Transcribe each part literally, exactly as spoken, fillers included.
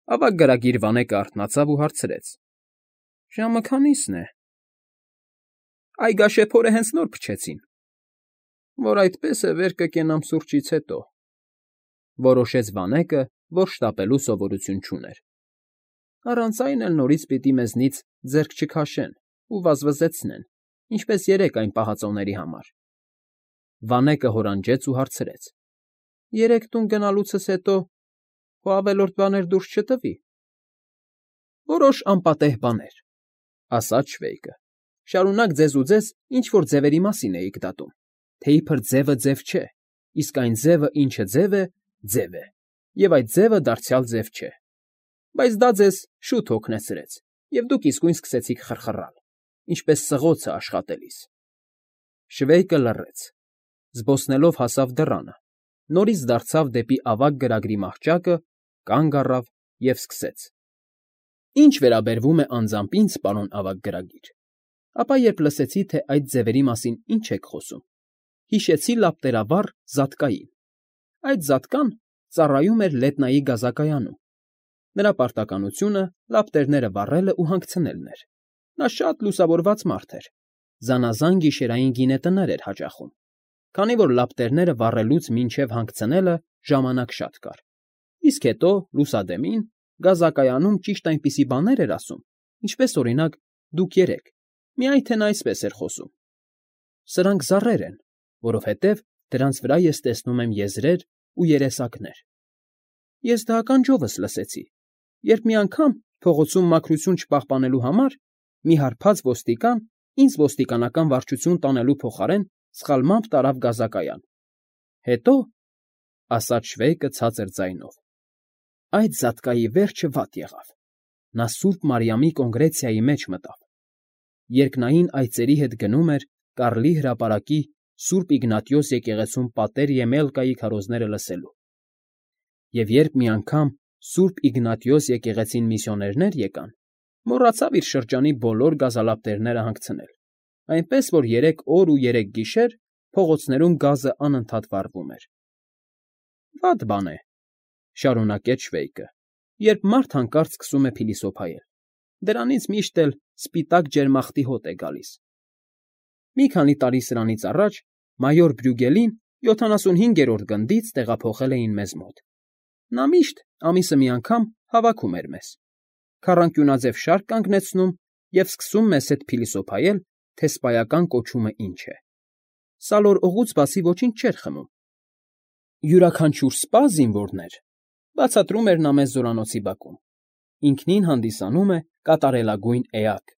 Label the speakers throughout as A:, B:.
A: Ավագ գրագիր Վանեկը արթնացավ ու հարցրեց. ֊ Ժամը քանի՞սն է։ ֊ Այգաշեփորը հենց նոր փչեցին։ ֊ Որ այդպես է, վեր կկենամ սուրճից հետո,֊ որոշեց Վանեկը, որ շտապելու սովորություն չուներ։ ֊ Առանց այն էլ նորից պիտի մեզնից ձեռք չքաշեն ու վազվզեցնեն, ինչպես երեկ այն պահածոների համար… Վանեկը հորանջեց ու հարցրեց. ֊ Երեկ տուն գնալուցս հետո քո ավելորդ բաներ դուրս չտվի։ ֊ Որոշ անպատեհ բաներ,֊ ասաց Շվեյկը,֊ շարունակ ձեզ ու ձեզ ինչ֊որ ձևերի մասին էիք դատում, թե իբր ձևը ձև չէ, իսկ այն ձևը, ինչը ձև է, ձև է, և այդ ձևը դարձյալ ձև չէ… Բայց դա ձեզ շուտ հոգնեցրեց, և դուք իսկույն սկսեցիք խռխռալ, ինչպես սղոցը աշխատելիս… Շվեյկը լռեց, զբոսնելով հասավ դռանը, նորից դարձավ դեպի ավագ գրագրի մահճակը, կանգ առավ և սկսեց. «Ինչ վերաբերում է անձամբ ինձ, պարոն ավագ գրագիր, ապա երբ լսեցի, թե այդ ձևերի մասին ինչ եք խոսում, հիշեցի լապտերավառ Զատկային. այդ Զատկան ծառայում էր Լետնայի գազակայանում, նրա պարտականությունը լապտերները վառելն ու հանգցնելն էր, նա շատ լուսավորված մարդ էր, զանազան գիշերային գինետներ էր հաճախում, քանի որ լապտերները վառելուց մինչև հանգցնելը ժամանակ շատ կար, իսկ հետո, լուսադեմին, գազակայանում ճիշտ այնպիսի բաներ էր ասում, ինչպես, օրինակ, դուք երեկ, միայն թե նա այսպես էր խոսում. «Սրանք զառեր են, որովհետև դրանց վրա ես տեսնում եմ եզրեր ու երեսակներ»։ Ես դա ականջովս լսեցի, երբ մի անգամ, փողոցում մաքրություն չպահպանելու համար, մի հարբած ոստիկան ինձ ոստիկանական վարչություն տանելու փոխարեն սխալմամբ տարավ գազակայան… Հետո, ֊ ասաց Շվեյկը ցածր ձայնով, ֊ այդ Զատկայի վերջը վատ եղավ, նա սուրբ Մարիամի կոնգրեգցիայի մեջ մտավ, երկնային այծերի հետ գնում էր Կարլի հրապարակի Սուրբ Իգնատիոս եկեղեցում պատեր Եմելկայի քարոզները լսելու… Եվ երբ մի անգամ Սուրբ Իգնատիոս եկեղեցին միսիոներներ եկան, մոռացավ իր շրջանի բոլոր գազալապտերները հանգցնել, այնպես որ երեք օր ու երեք գիշեր փողոցներում գազը անընդհատ վառվում էր… ֊ Վատ բան է,֊ շարունակեց Շվեյկը,֊ երբ մարդ հանկարծ սկսում է փիլիսոփայել, դրանից միշտ էլ սպիտակ ջերմախտի հոտ է գալիս… Մի քանի տարի սրանից առաջ մայոր Բրյուգելին յոթանասունհինգերորդ գնդից տեղափոխել էին մեզ մոտ… Նա միշտ, ամիսը մի անգամ, հավաքում էր մեզ, քառանկյունաձև շարք կանգնեցնում և սկսում մեզ հետ փիլիսոփայել, թե սպայական կոչումը ինչ է… Սալոր օղուց բացի ոչինչ չէր խմում… Յուրաքանչյուր սպա, զինվորներ, բացատրում էր նա մեզ զորանոցի բակում, ինքնին հանդիսանում է կատարելագույն էակ,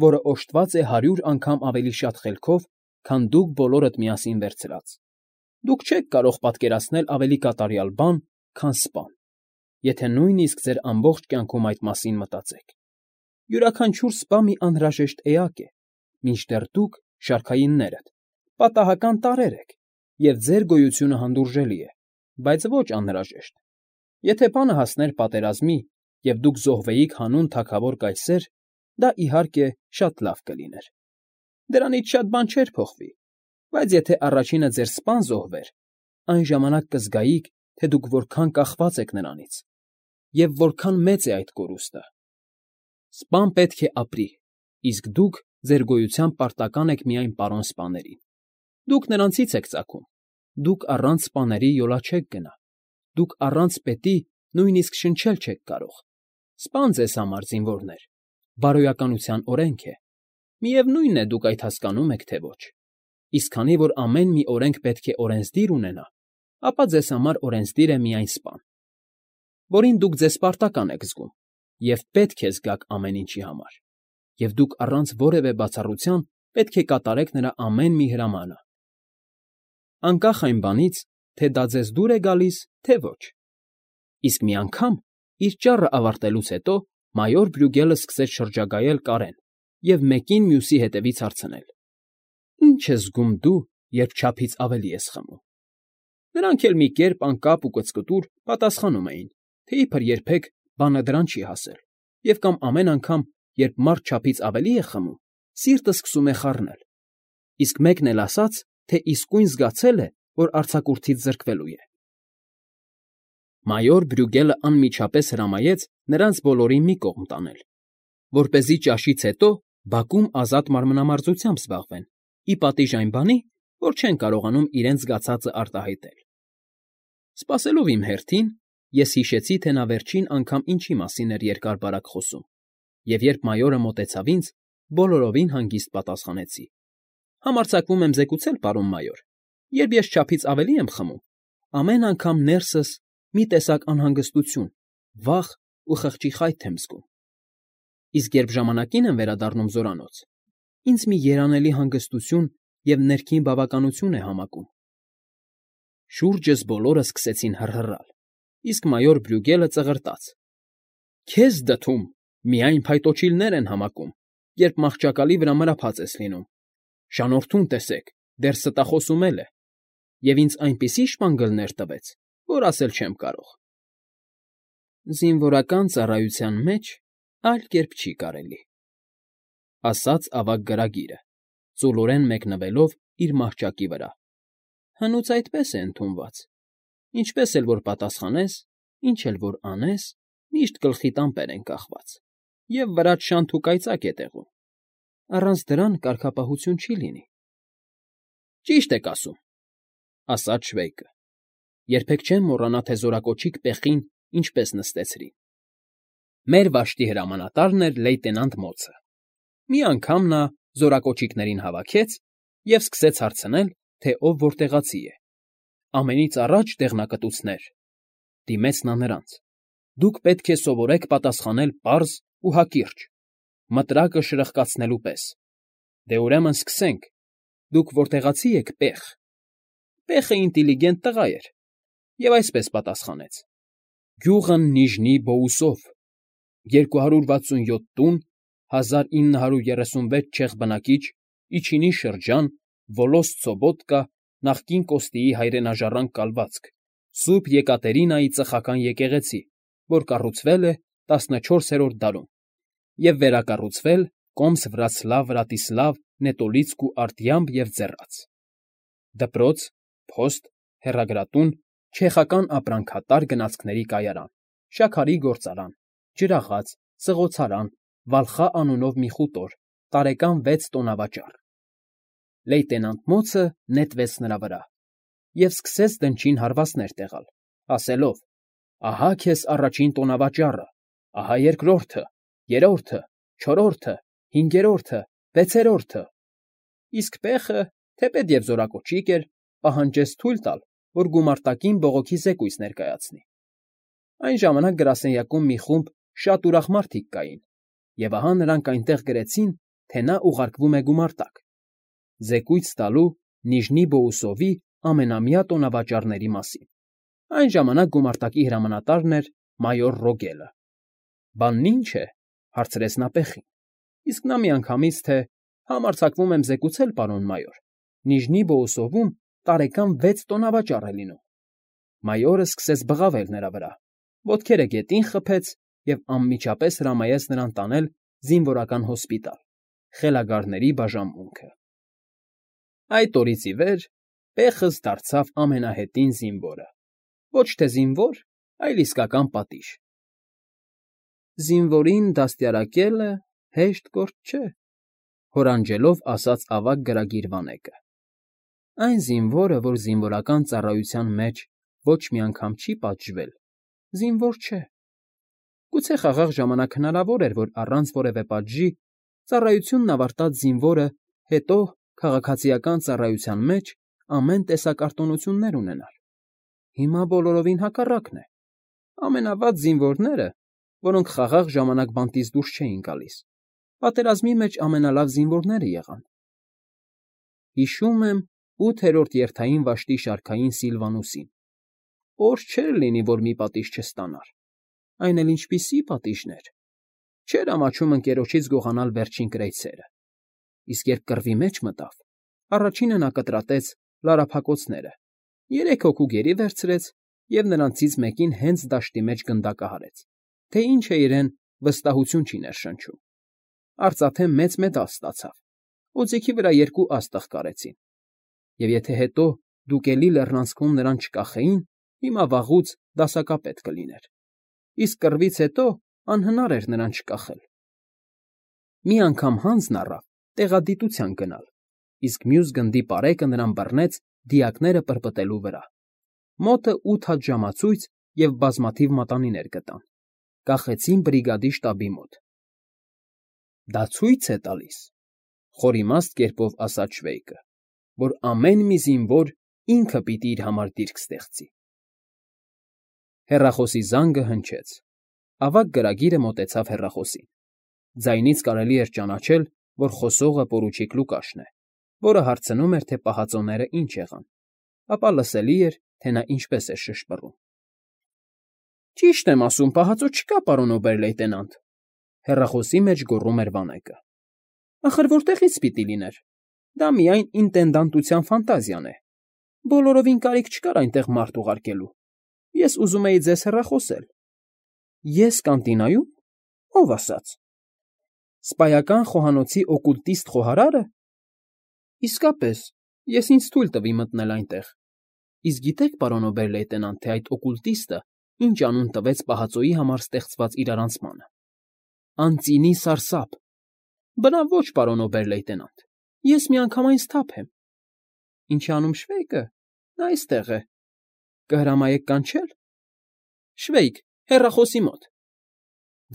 A: որը օժտված է հարյուր անգամ ավելի շատ խելքով, քան դուք բոլորդ միասին վերցրած… Դուք չեք կարող պատկերացնել ավելի կատարյալ բան, քան սպան, եթե նույնիսկ ձեր ամբողջ կյանքում այդ մասին մտածեք… Յուրաքանչյուր սպա մի անհրաժեշտ էակ է, մինչդեռ դուք, շարքայիններդ, պատահական տարրեր եք, և ձեր գոյությունը հանդուրժելի է, բայց ոչ անհրաժեշտ… Եթե բանը հասներ պատերազմի, և դուք զոհվեիք հանուն թագավոր կայսեր, դա, իհարկե, շատ լավ կլիներ… Դրանից շատ բան չէր փոխվի, բայց եթե առաջինը ձեր սպան զոհվեր, այն ժամանակ կզգայիք, թե դուք որքան կախված եք նրանից, և որքան մեծ է այդ կորուստը… Սպան պետք է ապրի, իսկ դուք ձեր գոյությամբ պարտական եք միայն պարոն սպաներին… Դուք նրանցից եք ծագում, դուք առանց սպաների յոլա չեք գնա, դուք առանց պետի նույնիսկ շնչել չեք կարող… Սպան ձեզ համար, զինվորներ, բարոյականության օրենք է, միևնույն է, դուք այդ հասկանում եք, թե ոչ… Իսկ քանի որ ամեն մի օրենք պետք է օրենսդիր ունենա, ապա ձեզ համար օրենսդիր է միայն սպան, որին դուք ձեզ պարտական եք զգում և պետք է զգաք ամեն ինչի համար, և դուք առանց որևէ բացառության պետք է կատարեք նրա ամեն մի հրամանը, անկախ այն բանից, թե դա ձեզ դուր է գալիս, թե ոչ… Իսկ մի անգամ, իր ճառը ավարտելուց հետո, մայոր Բրյուգելը սկսեց շրջագայել կարեն և մեկին մյուսի հետևից հարցնել. «Ի՞նչ ես զգում դու, երբ չափից ավելի ես խմում»… Նրանք էլ մի կերպ անկապ ու կծկտուր պատասխանում էին, թե իբր երբեք բանը դրան չի հասել և կամ ամեն անգամ, երբ մարդ չափից ավելի է խմում, սիրտը սկսում է խառնել, իսկ մեկն էլ ասաց, թե իսկույն զգացել է, որ արձակուրդից զրկվելու է… Մայոր Բրյուգելը անմիջապես հրամայեց նրանց բոլորին մի կողմ տանել, որպեսզի ճաշից հետո բակում ազատ մարմնամարզությամբ զբաղվեն, ի պատիժ այն բանի, որ չեն կարողանում իրենց զգացածը արտահայտել։ Սպասելով իմ հերթին, ես հիշեցի, թե նա վերջին անգամ ինչի մասին էր երկար֊բարակ խոսում, և երբ մայորը մոտեցավ ինձ, բոլորովին հանգիստ պատասխանեցի. Համարձակվում եմ զեկուցել, պարոն մայոր, երբ ես չափից ավելի եմ խմում, ամեն անգամ ներսս մի տեսակ անհանգստություն, վախ ու խղճի խայթ եմ զգում, իսկ երբ ժամանակին եմ վերադառնում զորանոց, ինձ մի երանելի հանգստություն և ներքին բավականություն է համակում։ Շուրջս բոլորը սկսեցին հռհռալ, իսկ մայոր Բրյուգելը ծղրտաց. Քեզ դդում միայն փայտոջիլներ են համակում, երբ մահճակալի վրա մրափած ես լինում, շանորդուն տեսեք, դեռ ստախոսում էլ է, և ինձ այնպիսի շպանգլներ տվեց, որ ասել չեմ կարող։ Զինվորական ծառայության մեջ այլ կերպ չի կարելի, ասաց ավագ գրագիրը, ծուլորեն մեկնվելով իր մահճակի վրա։ Հնուց այդպես է ընդունված, ինչպես էլ որ պատասխանես, ինչ էլ որ անես, միշտ գլխիդ ամպեր են կախված, և վրադ շանթ ու կայծակ է տեղում, առանց դրան կարգապահություն չի լինի։ Ճիշտ եք ասում, ասաց Շվեյկը, երբեք չեմ մոռանա, թե զորակոչիկ Պեխին ինչպես նստեցրին։ Մեր վաշտի հրամանատարն էր լեյտենանտ Մոցը։ Մի անգամ նա զորակոչիկներին հավաքեց և սկսեց հարցնել, թե ով որտեղացի է։ Ամենից առաջ դեղնակտուցներ, դիմեց նա նրանց, դուք պետք է սովորեք պատասխանել պարզ ու հակիրճ, մտրակը շրխկացնելու պես։ Դե ուրեմն սկսենք, դուք որտեղացի եք, Պեխ։ Պեխը ինտիլիգենտ տղա էր և այսպես պատասխանեց. Գյուղն Նիժնի Բոուսով, երկու հարյուր վաթսունյոթ տուն, հազար ինը հարյուր երեսունվեց չեխ բնակիչ, Իչինի շրջան, Վոլոս Ցոբոտկա, նախկին Կոստիի հայրենաժառանգ կալվածք, Սուրբ Եկատերինայի ծխական եկեղեցի, որ կառուցվել է տասնչորսերորդ դարում և վերակառուցվել Կոմս֊Վրացլավ Վրատիսլավ Նետոլիցկու արտյամբ և ձեռաց։ Դպրոց, փոստ, հեռագրատուն, չեխական ապրանքատար գնացքների կայարան, շաքարի գործարան, ջրաղաց, սղոցարան, Վալխա անունով մի խուտոր, տարեկան վեց տոնավաճառ։ Լեյտենանտ Մոցը նետվեց նրա վրա և սկսեց դնչին հարվածներ տեղալ, ասելով. Ահա քեզ առաջին տոնավաճառը, ահա երկրորդը, երրորդը, չորրորդը, հինգերորդը, վեցերորդը։ Իսկ Պեխը, թեպետև զորակոչիկ էր, պահանջեց թույլ տալ, որ գումարտակին բողոքի զեկույց ներկայացնի։ Այն ժամանակ գրասենյակում մի խումբ շատ ուրախ մարդիկ կային, և ահա նրանք այնտեղ գրեցին, թե նա ուղարկվում է գումարտակ, զեկույց տալու Նիժնի Բոուսովի ամենամյա տոնավաճառների մասին։ Այն ժամանակ գումարտակի հրամանատարն էր մայոր Ռոգելը։ Բանն ի՞նչ է,֊ հարցրեց նա Պեխին, իսկ նա միանգամից, թե համարձակվում եմ զեկուցել, պարոն մայոր, Նիժնի Բոուսովում տարեկան վեց տոնավաճառ է լինում։ Մայորը սկսեց բղավել նրա վրա, ոտքերը գետին խփեց և անմիջապես հրամայեց նրան տանել զինվորական հոսպիտալ, խելագարների բաժանմունքը։ Այդ օրից ի վեր Պեխս դարձավ ամենահետին զինվորը, ոչ թե զինվոր, այլ իսկական պատիժ։ Զինվորին դաստիարակելը հեշտ գործ չէ,֊ հորանջելով ասաց ավագ գրագիր Վանեկը։ Այն զինվորը, որ զինվորական ծառայության մեջ ոչ մի անգամ չի պատժվել, զինվոր չէ։ Գուցե խաղաղ ժամանակ հնարավոր էր, որ առանց որևէ պատժի ծառայությունն ավարտած զինվորը հետո քաղաքացիական ծառայության մեջ ամեն տեսակ արտոնություններ ունենար։ Հիմա բոլորովին հակառակն է. ամենավատ զինվորները, որոնք խաղաղ ժամանակ բանտից դուրս չէին գալիս, պատերազմի մեջ ամենալավ զինվորները եղան։ Հիշում եմ ութերորդ երթային վաշտի շարքային Սիլվանուսին։ Օր չէր լինի, որ մի պատիժ չստանար, այն էլ ինչպիսի պատիժներ… Չէր ամաչում ընկերոջից գողանալ վերջին կրեյսերը, իսկ երբ կռվի մեջ մտավ, առաջինը նա կտրատեց լարափակոցները, երեք հոգու գերի վերցրեց և նրանցից մեկին հենց դաշտի մեջ գնդակահարեց, թե ինչ է իրեն վստահություն չի ներշնչում։ Արծաթե մեծ մեդալ ստացավ, օձիքի վրա երկու աստղ կարեցին, և եթե հետո դուկելի լեռնանցքում նրան չկախեին, հիմա վաղուց դասակապետ կլիներ, իսկ կռվից հետո անհնար էր նրան չկախել։ Մի անգամ հանձն առավ տեղադիտության գնալ, իսկ մյուս գնդի պարեկը նրան բռնեց դիակները պրպտելու վրա։ Մոտը ութ հատ ժամացույց և բազմաթիվ մատանիներ գտան, կախեցին բրիգադի շտաբի մոտ։ Դա ցույց է տալիս, խորիմաստ կերպով ասաց Շվեյկը, որ ամեն մի զինվոր ինքը պիտի իր համար դիրք ստեղծի։ Հեռախոսի զանգը հնչեց։ Ավագ գրագիրը մոտեցավ հեռախոսին։ Ձայնից կարելի էր ճանաչել, որ խոսողը պորուչիկ Լուկաշն է, որը հարցնում էր, թե պահածոները ինչ եղան, ապա լսելի էր, թե նա ինչպես է շշպռում։ Ճիշտ եմ ասում, պահածո չկա, պարոն օբեր֊լեյտենանտ, հեռախոսի մեջ գոռում էր Վանեկը։ Ախր որտեղից պիտի լիներ։ Դա միայն ինտենդանտության ֆանտազիան է։ Բոլորովին կարիք չկար այնտեղ մարդ ուղարկելու։ Ես ուզում էի ձեզ հեռախոսել։ Ես կանտինայու՞մ։ Ո՞վ ասաց։ Սպայական խոհանոցի օկուլտիստ խոհարա՞րը։ Իսկապես, ես ինձ թույլ տվի մտնել այնտեղ։ Իսկ գիտեք, պարոն օբեր֊լեյտենանտ, թե այդ օկուլտիստը ինչ անուն տվեց պահածոյի համար ստեղծված իրարանցմանը։ Անծինի սարսափ։ Բնավ ոչ, պարոն օբեր֊լեյտենանտ, ես միանգամայն սթափ եմ։ Ինչ է անում Շվեյկը։ Նա այստեղ է։ Կհրամայեք կանչել։ Շվեյկ, հեռախոսի մոտ։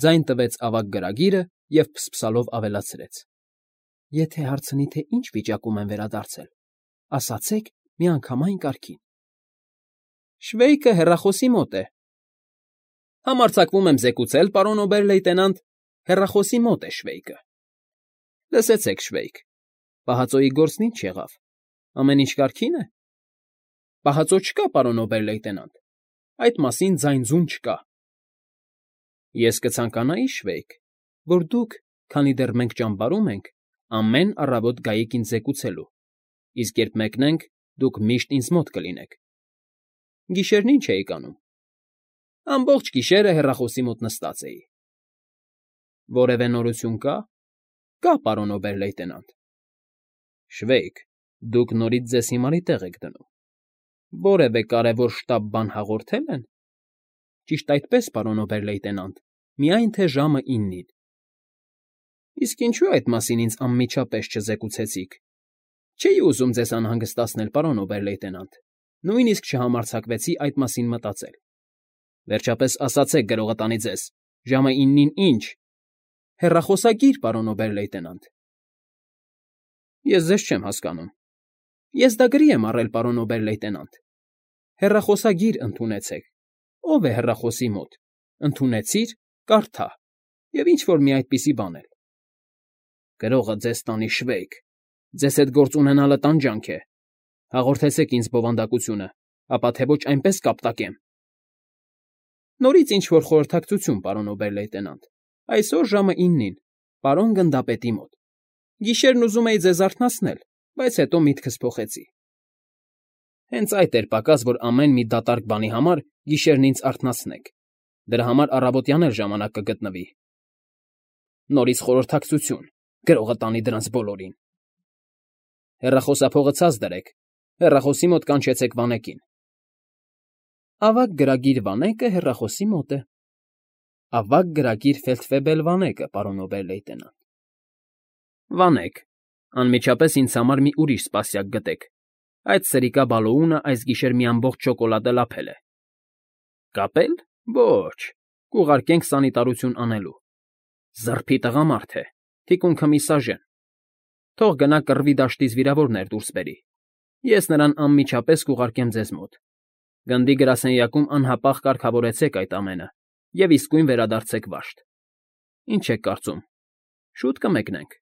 A: Ձայն տվեց ավագ գրագիրը և փսփսալով ավելացրեց. Եթե հարցնի, թե ինչ վիճակում եմ վերադարձել, ասացեք միանգամայն կարգին։ Շվեյկը հեռախոսի մոտ է։ Համարձակվում եմ զեկուցել, պարոն օբեր֊լեյտենանտ, հեռախոսի մոտ է Շվեյկը։ Լսեցեք, Շվեյկ, պահածոյի գործն ինչ եղավ։ Ամեն ինչ կարգին է։ Պահածո չկա, պարոն օբեր֊լեյտենանտ, այդ մասին ձայն֊ձուն չկա։ Ես կցանկանայի, Շվեյկ, որ դուք, քանի դեռ մենք ճամբարում ենք, ամեն առավոտ գայիք ինձ զեկուցելու, իսկ երբ մեկնենք, դուք միշտ ինձ մոտ կլինեք։ Գիշերն ինչ էիք անում։ Ամբողջ գիշերը հեռախոսի մոտ նստած էի։ Որևէ նորություն կա։ Կա, պարոն օբեր֊լեյտենանտ։ Շվեյկ, դուք նորից ձեզ հիմարի տեղ եք դնում։ Որևէ կարևոր շտապ բան հաղորդե՞լ են։ Ճիշտ այդպես, պարոն օբեր֊լեյտենանտ, միայն թե ժամը իննին։ Իսկ ինչու այդ մասին ինձ անմիջապես չզեկուցեցիք։ Չէի ուզում ձեզ անհանգստացնել, պարոն օբեր֊լեյտենանտ, նույնիսկ չհամարձակվեցի այդ մասին մտածել։ Վերջապես ասացեք, գրողը տանի ձեզ, ժամը իննին ինչ։ Հեռախոսագիր, պարոն օբեր֊լեյտենանտ։ Ես ձեզ չեմ հասկանում։ Ես դա գրի եմ առել, պարոն օբեր֊լեյտենանտ։ Հեռախոսագիր ընդունեցեք։ Ո՞վ է հեռախոսի մոտ։ Ընդունեցիր, կարդա։ Եվ ինչ֊որ մի այդպիսի բան էլ։ Գրողը ձեզ տանի, Շվեյկ, ձեզ հետ գործ ունենալը տանջանք է։ Հաղորդեցեք ինձ բովանդակությունը, ապա թե ոչ այնպես կապտակեմ։ Նորից ինչ֊որ խորհրդակցություն, պարոն օբեր֊լեյտենանտ։ Այսօր ժամը իննին, պարոն գնդապետի մոտ։ Գիշերն ուզում էի ձեզ արթնացնել, բայց հետո միտքս փոխեցի։ Հենց այդ էր պակաս, որ ամեն մի դատարկ բանի համար գիշերն ինձ արթնացնեք։ Դրա համար առավոտյան էլ ժամանակ կգտնվի։ Նորից խորհրդակցություն, գրողը տանի դրանց բոլորին։ Հեռախոսափողը ցած դրեք, հեռախոսի մոտ կանչեցեք Վանեկին։ Ավագ գրագիր Վանեկը հեռախոսի մոտ է։ Ավագ գրագիր Ֆելդֆեբել Վանեկը, պարոն օբեր֊լեյտենանտ։ Վանեք, անմիջապես ինձ համար մի ուրիշ սպասյակ գտեք։ Այդ սրիկա Բալոունը այս գիշեր մի ամբողջ շոկոլադե լափել է։ Կապել։ Ոչ, կուղարկենք սանիտարություն անելու։ Զրփի տղամարդ է, թիկունքը մի սաժեն։ Թող գնա կռվի դաշտից վիրավորներ դուրս բերի։ Ես նրան անմիջապես կուղարկեմ ձեզ մոտ։ Գնդի գրասենյակում անհապաղ կարգավորեցեք այդ ամենը և իսկույն վերադարձեք վաշտ։ Ինչ եք կարծում։ Շուտ կմեկնենք։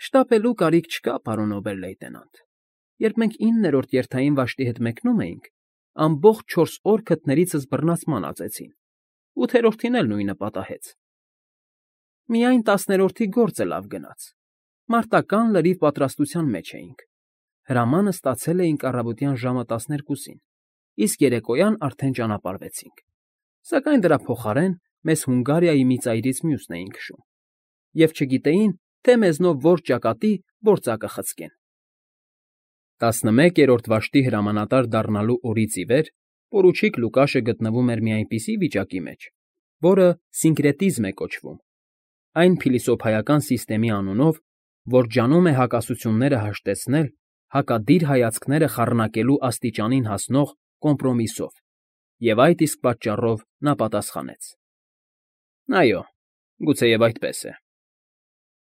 A: Շտապելու կարիք չկա, պարոն օբեր֊լեյտենանտ։ Երբ մենք իններորդ երթային վաշտի հետ մեկնում էինք, ամբողջ չորս օր քթներիցս բռնացման ածեցին, ութերորդին էլ նույնը պատահեց։ Միայն տասներորդի գործը լավ գնաց։ Մարտական լրիվ պատրաստության մեջ էինք։ Հրամանը ստացել էինք առավոտյան ժամը տասներկուսին, իսկ երեկոյան արդեն ճանապարհվեցինք։ Սակայն դրա փոխարեն մեզ Հունգարիայի մի ծայրից մյուսն էին քշում, և չգիտեին, թե մեզնով որ ճակատի գործակը խցկեն։ Տասնմեկերորդ վաշտի հրամանատար դառնալու օրից ի վեր Պորուչիկ Լուկաշը գտնվում էր մի այնպիսի վիճակի մեջ, որը սինկրետիզմ է կոչվում, այն փիլիսոփայական սիստեմի անունով, որ ջանում է հակասությունները հաշտեցնել հակադիր հայացքները խառնակելու աստիճանին հասնող կոմպրոմիսով, և այդ իսկ պատճառով նա պատասխանեց. ֊ Այո, գուցեև այդպես է։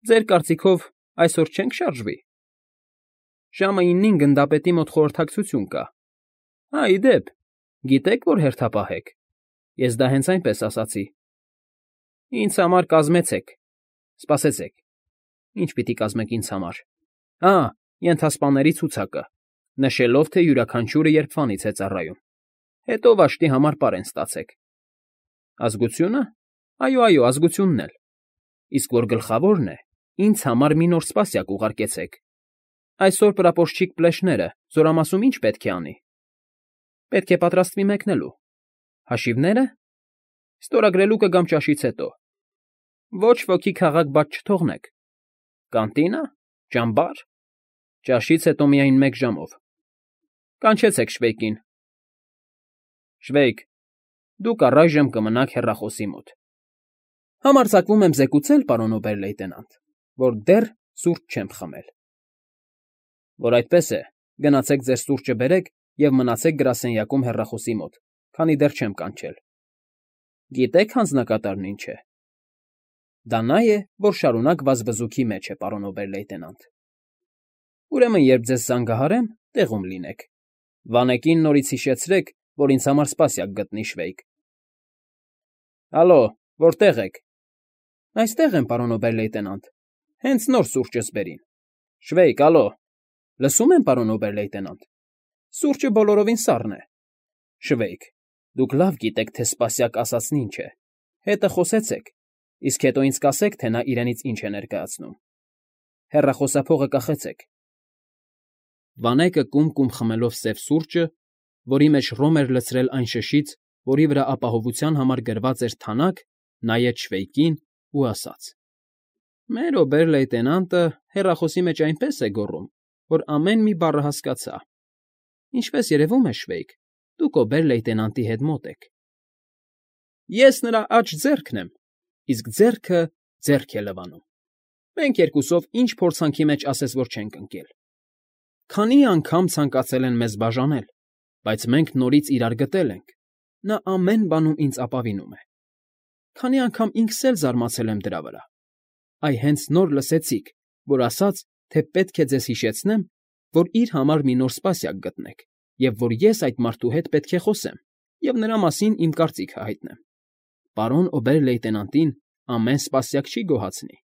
A: Ձեր կարծիքով այսօր չե՞նք շարժվի։ Ժամը իննին գնդապետի մոտ խորհրդակցություն կա։ Հա, ի դեպ, գիտե՞ք, որ հերթապահ եք։ Ես դա հենց այնպես ասացի։ Ինձ համար կազմեցեք, սպասեցեք։ Ի՞նչ պիտի կազմեք ինձ համար։ Ա, ենթասպաների ցուցակը, նշելով, թե յուրաքանչյուրը երբվանից է ծառայում։ Հետո վաշտի համար պարեն ստացեք։ Ազգությո՞ւնը։ Այո, այո, ազգությունն էլ։ Իսկ որ գլխավորն է, ինձ համար մի նոր սպասյակ ուղարկեցեք։ Այսօր պրապորչիկ Պլեշները զորամասում ի՞նչ պետք է անի։ Պետք է պատրաստվի մեկնելու։ Հաշիվնե՞րը։ Ստորագրելու կգամ ճաշից հետո։ Ոչ ոքի քաղաք բաց չթողնեք։ Կանտի՞նը, ճամբա՞ր։ Ճաշից հետո միայն մեկ ժամով։ Կանչեցեք Շվեյկին։ Շվեյկ, դուք առայժմ կմնաք հեռախոսի մոտ։ Համարձակվում եմ զեկուցել, պարոն օբեր֊լեյտենանտ, որ դեռ սուրճ չեմ խմել։ Որ այդպես է, գնացեք ձեր սուրճը բերեք և մնացեք գրասենյակում հեռախոսի մոտ, քանի դեռ չեմ կանչել։ Գիտե՞ք հանձնակատարն ինչ է։ Դա նա է, որ շարունակ վազվզուքի մեջ է, պարոն օբեր֊լեյտենանտ։ Ուրեմն, երբ ձեզ զանգահարեմ, տեղում լինեք։ Վանեկին նորից հիշեցրեք, որ ինձ համար սպասյակ գտնի, Շվեյկ։ Ալո, որտե՞ղ եք։ Այստեղ եմ, պարոն օբեր֊լեյտենանտ, հենց նոր սուրճս բերին։ Շվեյկ, ալո։ Լսում եմ, պարոն օբեր֊լեյտենանտ։ Սուրճը բոլորովին սառն է։ Շվեյկ, դուք լավ գիտեք, թե սպասյակ ասածն ինչ է։ Հետը խոսեցեք, իսկ հետո ինձ կասեք, թե նա իրենից ինչ է ներկայացնում։ Հեռախոսափողը կախեցեք։ Վանեկը կում֊կում խմելով սև սուրճը, որի մեջ ռոմ էր լցրել այն շշից, որի վրա ապահովության համար գրված էր թանաք, նայեց Շվեյկին ու ասաց. Մեր օբեր֊լեյտենանտը հեռախոսի մեջ այնպես է գոռում, որ ամեն մի բառը հասկացա։ Ինչպես երևում է, Շվեյկ, դուք օբեր֊լեյտենանտի հետ մոտ եք։ Ես նրա աջ ձեռքն եմ, իսկ ձեռքը ձեռք է լվանում։ Մենք երկուսով ինչ փորձանքի մեջ ասես որ չենք ընկել։ Քանի անգամ ցանկացել են մեզ բաժանել, բայց մենք նորից իրար գտել ենք։ Նա ամեն բանում ինձ ապավինում է։ Քանի անգամ ինքս էլ զարմացել եմ դրա վրա։ Այ հենց նոր լսեցիք, որ ասաց, թե պետք է ձեզ հիշեցնեմ, որ իր համար մի նոր սպասյակ գտնեք, և որ ես այդ մարդու հետ պետք է խոսեմ և նրա մասին իմ կարծիքը հայտնեմ։ Պարոն օբեր֊լեյտենանտին ամեն սպասյակ չի գոհացնի։